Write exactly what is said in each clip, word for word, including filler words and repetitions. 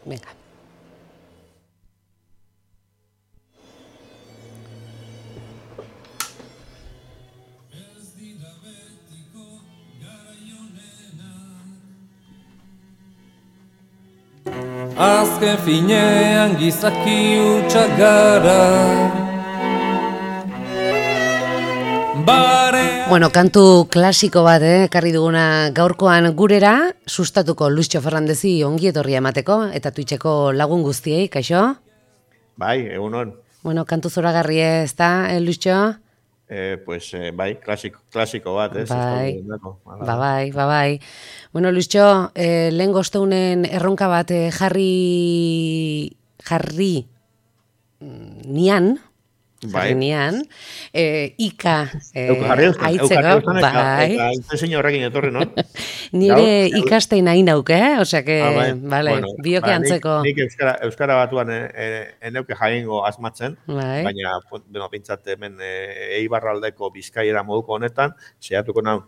Venga. Azken finean gizaki hutsak gara. Bueno, kantu klasiko bat, eh, ekarri duguna gaurkoan gurera, sustatuko Luisio Fernandezi ongi etorria emateko, eta Twitcheko lagun guztiei, kaixo? Bai, egunon. Bueno, kantu zoragarri ez da, eh, Luisio? Eh, pues, eh, bai, klasiko, klasiko bat, ez? Bai, ba, bai, ba, bai. Bueno, Luisio, eh, lehen gozteunen erronka bat eh, jarri, jarri nian, jarri nian, eh, ika eh, aitzeko, bai. Eta intezein horrekin etorri, no? Nire ikastein hain nauk, eh? Osea que, ah, bai. vale, bueno, bioke ba, antzeko. Nik, nik euskara, euskara batuan eh, eneuke jaingo asmatzen, bai. baina, bueno, pintzat hemen eh, Eibarraldeko Bizkaiera moduko honetan, saiatuko nahi,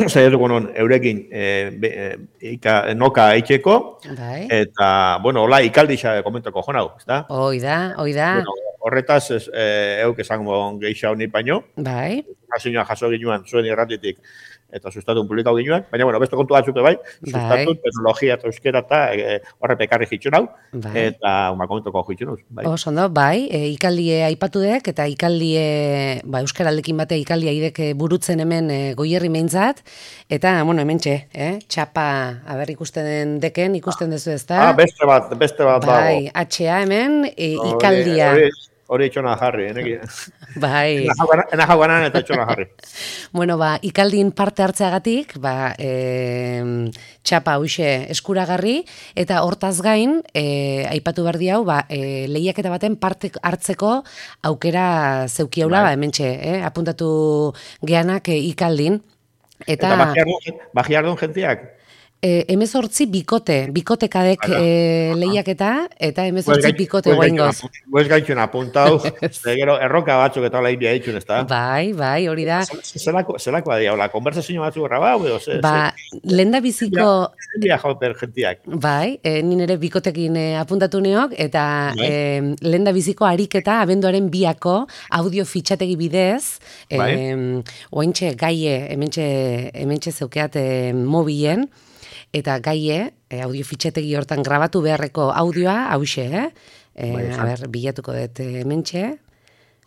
saiatuko non eurekin e, be, e, ika, noka eitxeko, bai. Eta, bueno, hola, ikaldixa komentako jonau, ez da? Hoi da, hoi da. Bueno, horretaz, ez, e, euk esango geisha honi baino. Bai. Informazioa jaso ginuan zuen irratitik eta sustatun publikau ginuan, baina, bueno, beste kontu batzuke bai, sustatun, bai. Teknologia eta euskera eta e, horre pekarri jitxun hau, bai. Eta uma komentoko jitxun hau. Bai. Osondo, bai, e, ikaldie aipatu dek, eta ikaldie, ba, euskaraldekin bate ikaldia idek burutzen hemen e, goierri meintzat, eta, bueno, hemen txe, eh? Txapa, haber ikusten deken, ikusten dezu ez da? Ah, beste bat, beste bat dago. Bai, H A hemen, e, ikaldia. Hori, hori itxona jarri, eneki. Bai. Ena jauanan eta itxona jarri. Bueno, ba, ikaldin parte hartzeagatik, ba, e, txapa huxe eskuragarri, eta hortaz gain, e, aipatu behar diau, ba, e, lehiaketa baten parte hartzeko aukera zeukiaula, ba, hementxe, eh? Apuntatu geanak e, ikaldin. Eta, eta bajiardun jentiak? E, emezortzi bikote, bikotekadek e, lehiaketa, eta emezortzi bikote guaingoz. Guez gaitxun apuntau, gero erroka batzuk eta lehi bia ditxun, ez da? Bai, bai, hori da. Zelakoa dira, hola, konversazio batzuk grabau, edo, ze? Ba, lehen da biziko... Bia jauper jentiak. Bai, e, nien ere bikotekin e, apuntatu neok, eta e, lehen da biziko ariketa abenduaren biako audio fitxategi bidez, e, oaintxe gaie, hementxe, hementxe zeukeat e, mobilen, eta gaie, e, audio fitxategi hortan grabatu beharreko audioa, hause, eh? E, a ber, bilatuko dut hementxe,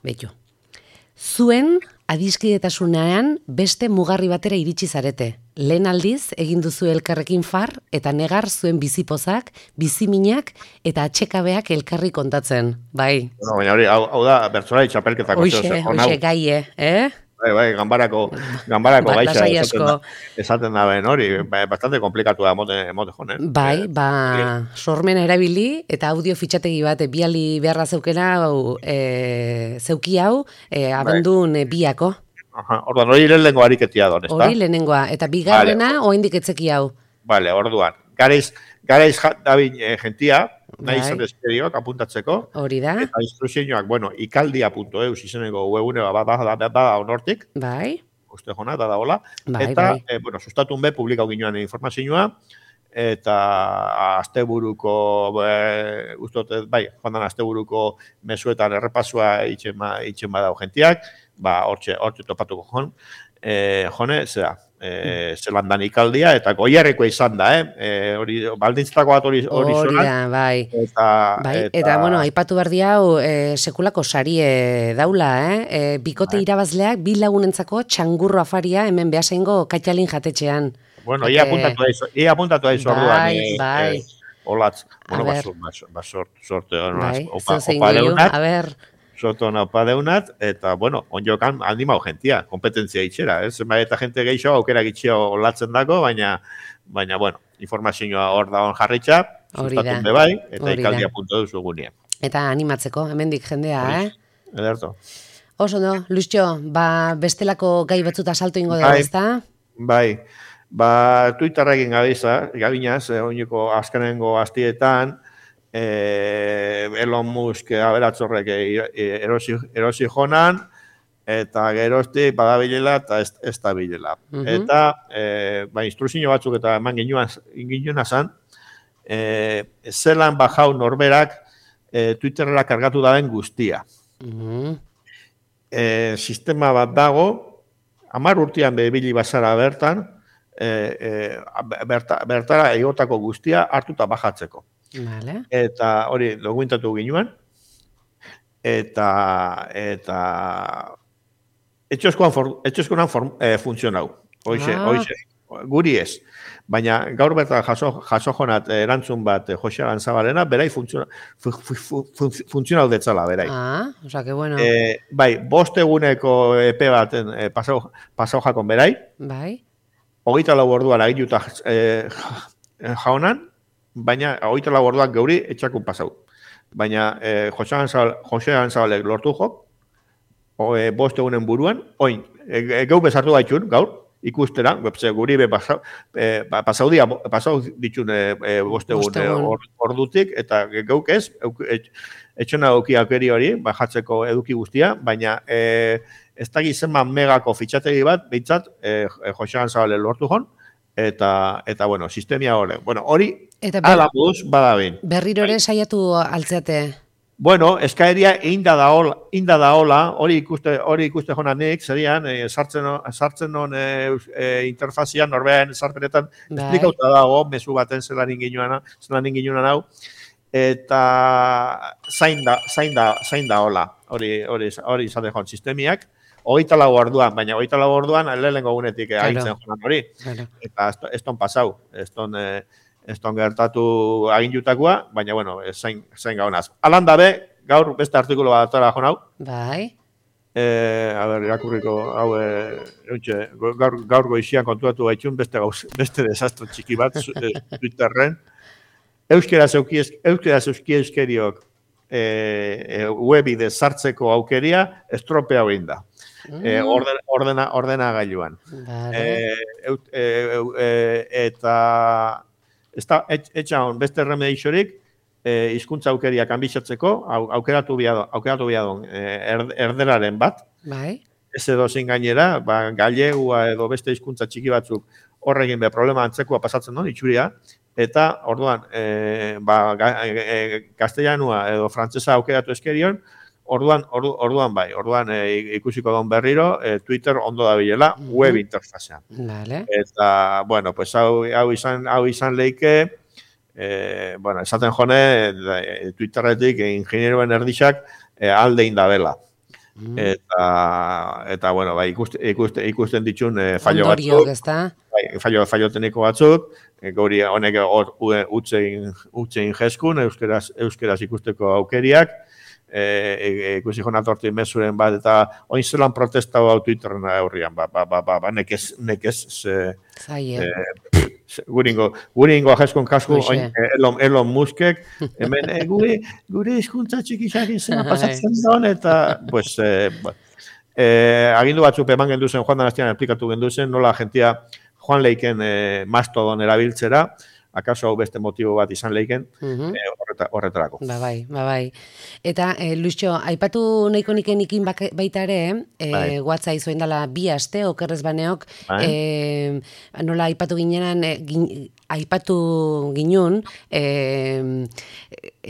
betu. Zuen adiskidetasunean beste mugarri batera iritsi zarete. Lehen aldiz, egin duzu elkarrekin far, eta negar zuen bizipozak, biziminak, eta atxekabeak elkarri kontatzen, bai. Bueno, baina hori, hau, hau da, bertzolai txapelketako. Hoxe, hoxe gaie, eh? Bai, bai, ganbarako, ganbarako ba, gaitza esaten, esaten da ben hori, bastante komplikatu da mote, mote jonen. Bai, ba, sormena erabili, eta audio fitxategi bat, biali beharra zeukena, hau, e, zeuki hau, e, abendun e, biako. Aha, orduan, hori lehenengo ariketia don, ez da? Hori lehenengoa, eta bigarrena, vale. Oendik etzeki hau. Vale, orduan, garaiz, garaiz dabin e, gentia, nahi izan dezkeriok apuntatzeko. Hori da. Eta instruzioak, bueno, ikaldia punto eus izeneko webune bat da, da, da, onortik. Bai. Uste jona, da da hola. Bai, eta, bai. E, bueno, sustatun be, publikau ginean informazioa, eta asteburuko, e, ustotet, bai, joan dan asteburuko mesuetan errepasua itxen, ba, itxen badau gentiak, ba, hortxe, hortxe topatuko jon, e, jone, zera, E, zelandan ikaldia, eta goierreko izan da, eh? E, hori, baldintzatako bat hori hori Hori da, bai. Eta, bai. Eta, eta, bueno, aipatu behar diau, e, sekulako sarie daula, eh? E, bikote bai. Irabazleak, bi lagunentzako txangurro afaria, hemen behasengo katxalin jatetxean. Bueno, ia apuntatu daizu, ia apuntatu daizu orduan. Bai, e, bai. E, olatz, bueno, basort, basort, sorte, bai, opa, opa leunat. A ber, Soto naupa deunat, eta, bueno, onjokan handimau gentia, kompetentzia itxera, ez? Zenbait eta jente geixo aukera gitxio olatzen dako, baina, baina, bueno, informazioa hor da on jarritxa, sustatun be bai, eta ikaldia punto duzu gunean. Eta animatzeko, hemendik jendea, Hori, eh? Ederto. Oso, no, Luisio, ba, bestelako gai batzuta salto ingo dugu, ezta? Bai, ba, Twitterrekin gabiza, gabinaz, eh, oineko azkenengo astietan, Eh, Elon Musk aberatzorrek erosi, erosi jonan, eta gerozti badabilela eta ez, ez da bilela. Uh -huh. Eta, eh, ba, instruzio batzuk eta eman ginuen azan, e, zelan bajau norberak e, Twitterera kargatu daben guztia. Mm. E, sistema bat dago, hamar urtean bebili bazara bertan, e, e, berta, bertara egotako guztia hartuta bajatzeko. Vale. Eta hori dokumentatu ginuan, eta eta etxeskoan e, funtzionau. Hoize, Ah. hoize, guri ez. Baina gaur bertan jaso, jaso jonat erantzun bat e, Jose Aranzabalena, berai funtzionau fu, fu, fu, funtzionau detzala, berai. Ah, o sea, que bueno. E, bai, bost eguneko epe baten e, pasau, pasau jakon berai, Bai. hogeita lau orduan aginuta e, jaunan, baina hogeita lau orduan geuri etxakun pasau. Baina e, Jose Aranzabalek lortu jok, o, e, bost egunen buruan, oin, e, e, geu bezartu gaitxun, gaur, ikustera, webse guri be pasau, e, pasau, dia, pasau ditxun e, e, bost egun e, or, ordutik, eta geuk ez, etxona auki aukeri hori, bajatzeko eduki guztia, baina e, ez da gizenman megako fitxategi bat, behintzat, e, Jose Aranzabale lortu jon, eta, eta bueno, sistemia hori. Bueno, hori, ala moduz, badabin. Berriro ere saiatu altzeate. Bueno, eskaeria inda da hola, inda da hola, hori ikuste, hori ikuste jona nik, zerian, e, sartzen, sartzen non e, e, interfazian, norbean sarpenetan, esplikauta dago, mezu baten zelan inginuan, zelan inginuan hau, eta zain da, zain da, zain da hola, hori, hori, hori izate joan sistemiak, hogeita lau orduan, baina hogeita lau orduan, lehenengo gunetik claro. Agintzen joan hori, claro. Eta ez ton pasau, ez ton... E, ez ton gertatu agindutakoa, baina, bueno, zain, zain gaunaz. Alan dabe, gaur beste artikulo bat atara joan hau. Bai. E, a ber, irakurriko, hau, e, eutxe, gaur, gaur goizian kontuatu gaitxun, beste, gauz, beste desastro txiki bat, e, Twitterren. Euskeraz euski euskeriok e, e, webide sartzeko aukeria estropea egin da. Mm. E, orden, ordena, ordena gailuan. Vale. E, e, e, e, eta... Ez da, etxaun, beste remedixorik, e, izkuntza aukeria kanbixatzeko, au, aukeratu biadon, aukeratu biadon e, erderaren bat. Bai. Ez edo zein gainera, ba, galegua edo beste hizkuntza txiki batzuk horregin be problema antzekoa pasatzen non, itxuria, eta orduan, e, ba, e, castellanua edo frantsesa aukeratu eskerion, orduan, ordu, orduan bai, orduan e, ikusiko don berriro, e, Twitter ondo da bilela, mm -hmm. web interfazean. Vale. Eta, bueno, pues hau, hau, izan, hau izan leike, e, bueno, esaten jone, e, Twitterretik e, ingenieroen erdixak e, alde indabela. Mm. Eta, eta, bueno, bai, ikusten, ikusten, ikusten ditxun e, fallo Ondoriok, batzuk. Ezta? Bai, fallo, fallo tekniko batzuk, e, gauri honek utzein, utzein jeskun, euskeraz, euskeraz ikusteko aukeriak, e, ikusi jona tortu mezuren bat, eta oin zelan protesta hau Twitterren aurrian, ba, ba, ba, ba, ba, nekez, nekez, ze, e, guringo, guringo ajezkon kasku, oin, Elon, Elon Muskek, hemen, e, gure, gure hizkuntza txikixak izena pasatzen don, eta, pues, e, bueno, e, agindu batzuk eman genduzen, Juan Danastian esplikatu genduzen, nola gentia joan leiken e, mastodon erabiltzera, akaso hau beste motibo bat izan leiken, uh-huh. e, horreta, horretarako. Ba bai, ba bai. Eta, e, Luixo, aipatu nahiko niken ikin baita ere, e, bai. WhatsApp izoen dela bi aste, okerrez baneok, bai. e, nola aipatu ginenan, e, gin, aipatu ginun, e,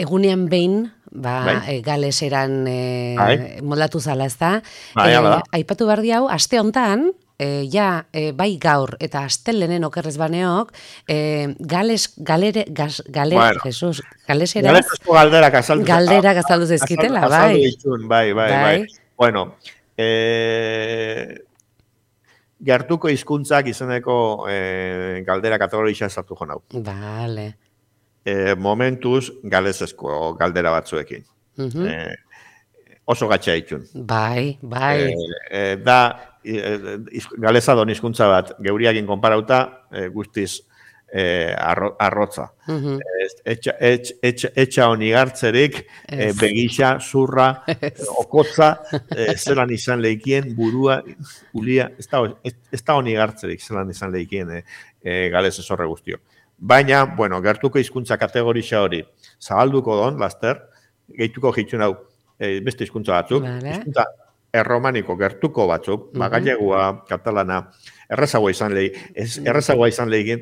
egunean behin, ba, bai. e, galeseran e, bai. moldatu zala, ez da? Bai, e, aipatu behar diau, aste hontan, E, ja, e, bai gaur eta astelenen okerrez baneok, e, gales, galere, gaz, galer, bueno, Jesus, galeseraz, galesesko galderak azaldu, galderak azaldu zezkitela, bai. Azaldu ditun, bai, bai, bai, bai. Bueno, e, gertuko hizkuntzak izeneko e, galdera kategorisa sartu jo nau. Vale. E, momentuz, galesesko galdera batzuekin. Uh-huh. E, oso gatxa ditun. Bai, bai. E, e, da, galeza don hizkuntza bat, geuriakin konparauta, e, guztiz e, arro, arrotza. Uh-huh. Etxa, etx, etx, etxa honi gartzerik, e, begisa, zurra, okotza, e, zelan izan leikien, burua, ulia, ez da honi gartzerik zelan izan leikien e, e, galez esorre guztio. Baina, bueno, gertuko hizkuntza kategorisa hori, zabalduko don, laster, gehituko hitxun hau, e, beste hizkuntza batzuk, vale. Hizkuntza erromaniko gertuko batzuk, mm -hmm. Gallegua, katalana, errezagoa izan lehi, ez, errezagoa izan lehi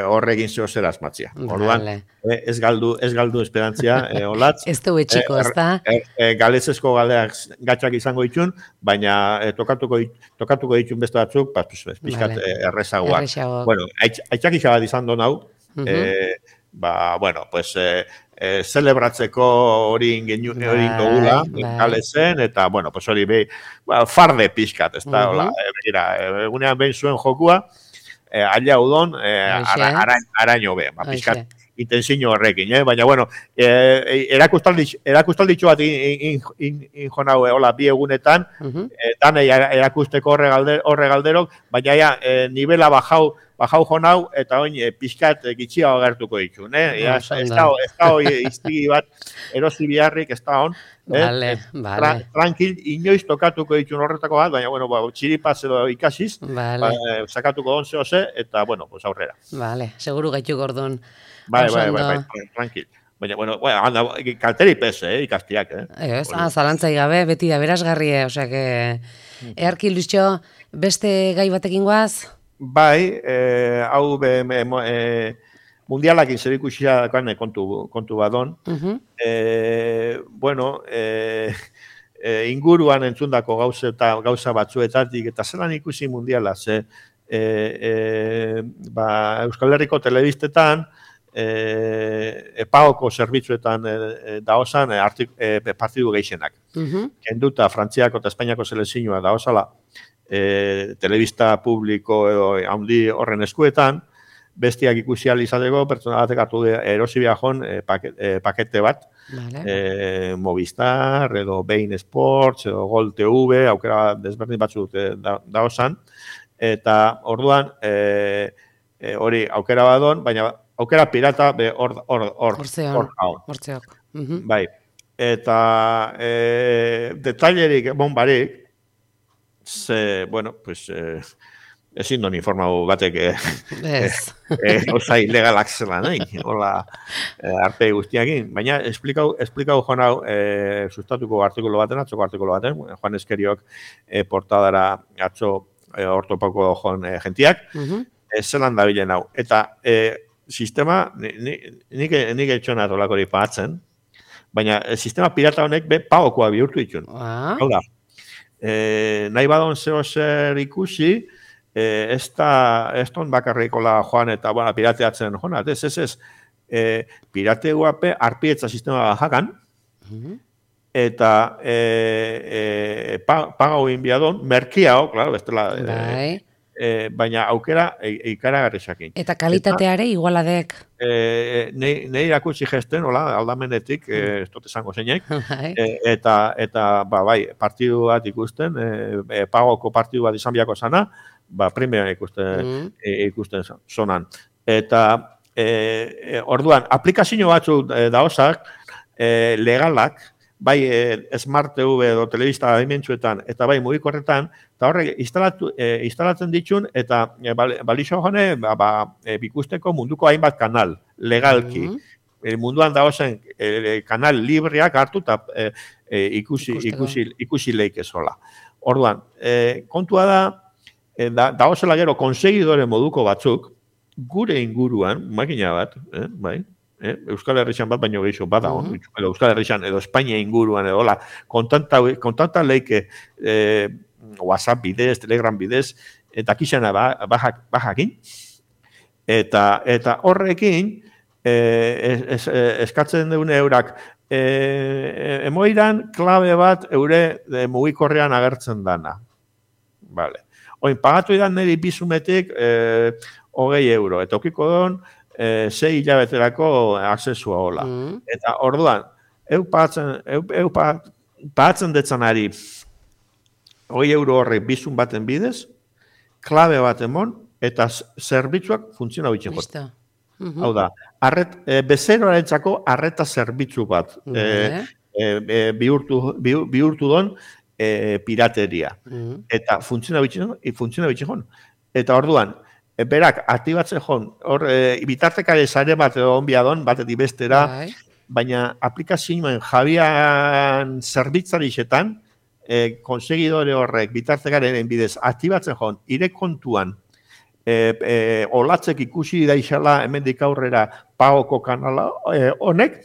horregin zeo zer asmatzia. Orduan, vale. e, ez galdu, ez galdu esperantzia, e, olatz. Ez du etxiko, ez da? E, e, Galezezko galdeak gatxak izango ditun, baina e, tokatuko, tokatuko ditun beste batzuk, pas, pues, pixkat vale. errezagoak. Bueno, aitzak izan izan do nau, mm -hmm. e, ba, bueno, pues... E, E, celebratzeko hori ingogula, Galezen, eta, bueno, pues hori behi, ba, farde pixkat, ez da, hola, e, egunean behin zuen jokua, e, aila udon, e, ara, ara, araño be, ba, pixkat, intensiño horrekin, eh? Baina, bueno, e, erakustalditxo bat injonau, hola, bi egunetan, e, danei erakusteko horre galderok, baina ja, e, nivela bajau, bajau jonau, eta oin e, pixkat e, gitxia agertuko ditun, eh? Ja, ez da hoi iztigi bat erosi biharrik, ez da hon. Vale, eh? vale. Tra, tranquil, inoiz tokatuko ditun horretako bat, baina, bueno, ba, txiripaz edo ikasiz, vale. ba, e, sakatuko onze oze, eta, bueno, pues aurrera. Vale, seguru gaitu gordon. Bai, bai, bai, bai, tranquil. Baina, bueno, anda, kalteri pez, eh, ikastiak, eh? Ez, ah, zalantzai gabe, beti da berazgarrie, osea, que... Earki, Luisio, beste gai batekin guaz? Bai, eh, hau be, me, eh, mundialakin zer ikusia kontu, kontu badon. Uh -huh. eh, bueno, eh, eh, inguruan entzundako gauza, eta, gauza batzuetatik, eta zelan ikusi mundiala, ze eh, eh, ba, Euskal Herriko telebistetan, eh, epaoko zerbitzuetan eh, daozan eh, eh, partidu gehienak. Uh -huh. Kenduta, Frantziako eta Espainiako selezioa daozala, E, telebista publiko edo handi horren eskuetan, bestiak ikusi izateko, pertsona batek hartu erosi biajon e, paket, e, pakete bat, vale. e, Movistar, edo Bein Sports, edo Gol T V, aukera desberdin batzuk e, da, daozan, eta orduan, e, e, hori aukera badon, baina aukera pirata be hor hor hor hor bai, eta e, detailerik, bonbarik, ze, bueno, pues, eh, ezin doni informau batek, eh, yes. eh, oza ilegalak zela, nahi, hola, eh, arte guztiakin, baina esplikau, esplikau joan hau, eh, sustatuko artikulu baten, atzoko artikulu baten, Juan Eskeriok eh, portadara atzo eh, ortopako joan eh, gentiak, uh -huh. eh, zelan da bilen hau, eta eh, sistema, nik nik etxona atolakori pagatzen, baina eh, sistema pirata honek be pagokoa bihurtu ditun, ah. hau da, Eh, nahi badon zeo zer ikusi, eh, ez da, ez don bakarrikola joan eta bueno, pirateatzen joan, ez, ez, ez, eh, pirate guape arpietza sistema jakan, uh -huh. eta eh, eh, pagau inbiadon, merkiao, claro, bestela, eh, eh, baina aukera e, ikaragarri sakin. Eta kalitateare igualadek? Eh, Nei irakutsi gesten, hola, aldamenetik, eh, ez dut esango zeinek, eh, eta, eta ba, bai, partidu bat ikusten, eh, pagoko partidu bat izan biako zana, ba, primeran ikusten, mm. e, ikusten zonan. Eta, eh, orduan, aplikazio batzuk eh, daozak, eh, legalak, bai e, Smart T V edo telebista adimentsuetan, eta bai mugikorretan, eta horrek instalatu, e, instalatzen ditun, eta e, balixo jone, ba, ba, e, bikusteko munduko hainbat kanal, legalki. Mm -hmm. e, munduan dagozen e, kanal libreak hartu, eta e, e, ikusi, ikusi, ikusi leike zola. Orduan, e, kontua da, e, da dagozela gero konsegidore moduko batzuk, gure inguruan, makina bat, eh, bai, Eh, Euskal Herrian bat baino gehiago bada, uh -huh. edo Euskal Herrian edo Espainia inguruan edo hola, kontanta kontanta leike eh, WhatsApp bidez, Telegram bidez, eta kixana bajak bajakin. Eta eta horrekin eh, es, es, eskatzen deune eurak eh, emoiran klabe bat eure de mugikorrean agertzen dana. Vale. Oin pagatu idan niri bizumetik eh, hogei euro, eta okiko don E, sei hilabeterako aksesua hola. Mm. Eta orduan, eu pagatzen, eu, eu pagatzen detzanari hogei euro horrek bizun baten bidez, klabe bat emon, eta zerbitzuak funtziona bitxen jota. Mm -hmm. Hau da, arret, e, bezeroarentzako arreta zerbitzu bat mm -hmm. e, e, bihurtu, bihurtu don e, pirateria. Mm -hmm. Eta funtziona bitxen, funtziona bitxen jota. Eta orduan, berak, aktibatzen joan, hor, e, bitartekare zare bat edo onbiadon, batetik bestera, baina aplikazioen jabian zerbitzarixetan, e, konsegidore horrek bitartekaren bidez aktibatzen joan, ire kontuan, e, e, olatzek ikusi daixala hemendik aurrera pagoko kanala e, honek,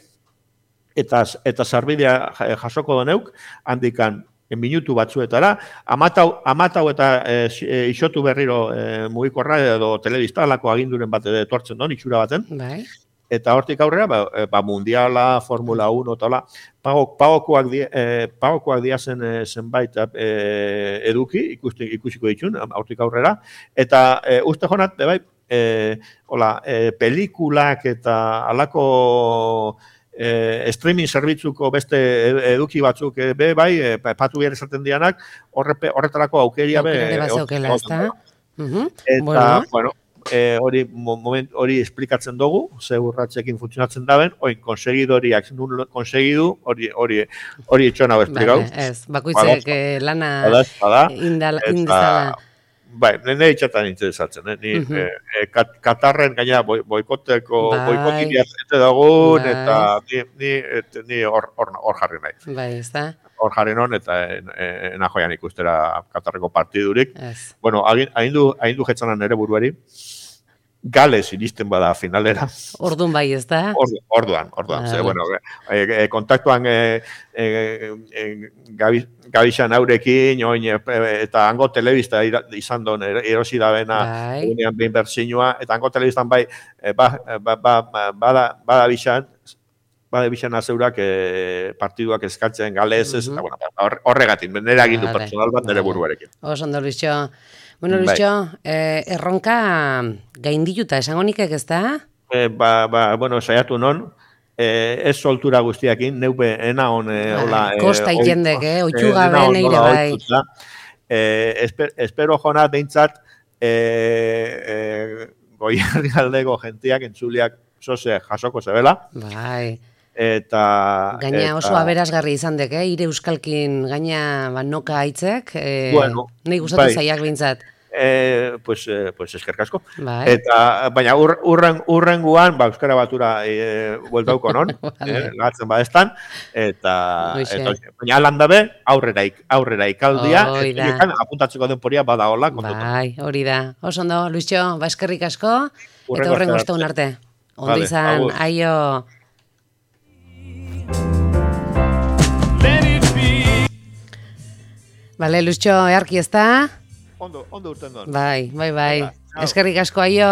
eta, eta sarbidea jasoko doneuk, handikan, minutu batzuetara, amatau, amatau eta e, isotu berriro e, mugikorra edo telebistalako aginduren bat etortzen don, itxura baten. Bai. Eta hortik aurrera, ba, ba mundiala, Formula uno, eta hola, pagokoak di, e, pagokoak diazen e, zenbait e, eduki, ikusti, ikusiko ditun, hortik aurrera, eta e, uste jonat, bai, e, hola, e, pelikulak eta alako E, streaming zerbitzuko beste eduki batzuk e, be, bai, e, patu behar esaten dianak, horre, horretarako aukeria be... Aukeria ezta? Eta, bueno, bueno e, hori, moment, hori esplikatzen dugu, ze urratxekin funtzionatzen daben, oin, konsegidoriak, nun konsegidu, hori, hori, hori etxon hau esplikau. Ez, bakoitzek lana indizala. Bai, nire itxatan interesatzen, eh? Ni, uh -huh. eh, kat, Katarren gaina boikoteko, bai. boikotik jazete dagoen, bai. eta ni, ni, et, ni hor, hor, hor jarri nahi. Bai, ez da? Hor jarri non, eta ena joian ikustera Katarreko partidurik. Ez. Bueno, hain du, hain du jetzanan nire buruari, Gales iristen bada finalera. Orduan bai, ez da? Ordu, orduan, orduan. Ze, bueno, e, e, kontaktuan e, e, e, gabi, Gabixan aurekin, oin, e, eta hango telebista izan don erosi da bena, unean behin bertzinua, eta hango telebistan bai, e, ba, ba, ba, bada, bada bixan, bada bixan azeurak e, partiduak eskatzen Gales, ez, uh -huh. eta bueno, horregatik, nire agindu vale. personal bat nire buruarekin. Oso ondo, Luisio. Bueno, Luisio, eh, erronka gaindituta, esango nikek ez da? Eh, ba, ba, bueno, saiatu non, eh, ez soltura guztiakin, neupe ena hon, eh, hola... Kosta ikendek, eh, oitxuga ben eire bai. Eh, esper, espero jona behintzat, eh, eh, goiarri aldeko gentiak, entzuliak, zoze, jasoko zebela. Bai. Eta... Gaina eta, oso aberazgarri izan dek, eh? Ire euskalkin gaina banoka aitzek, eh, bueno, nahi gustatu bai. zaiak bintzat. Eh, pues, eh, pues eskerkasko. Bai. Eta, baina ur, urren, urrenguan, ba, euskara batura e, bueltauko non, vale. eh, gatzen badestan, eta, eta baina alandabe, aurrera, aurrera ikaldia, eta apuntatzeko denporia bada hola. Bai, hori da. Oso ondo, Luisio, ba, eskerrik asko, eta horrengo esteun arte. Ondo vale, izan, agur. Aio... Bale, Luisio, earki ez da? Ondo, ondo urten dut. Bai, bai, bai. Eskerrik asko, aio.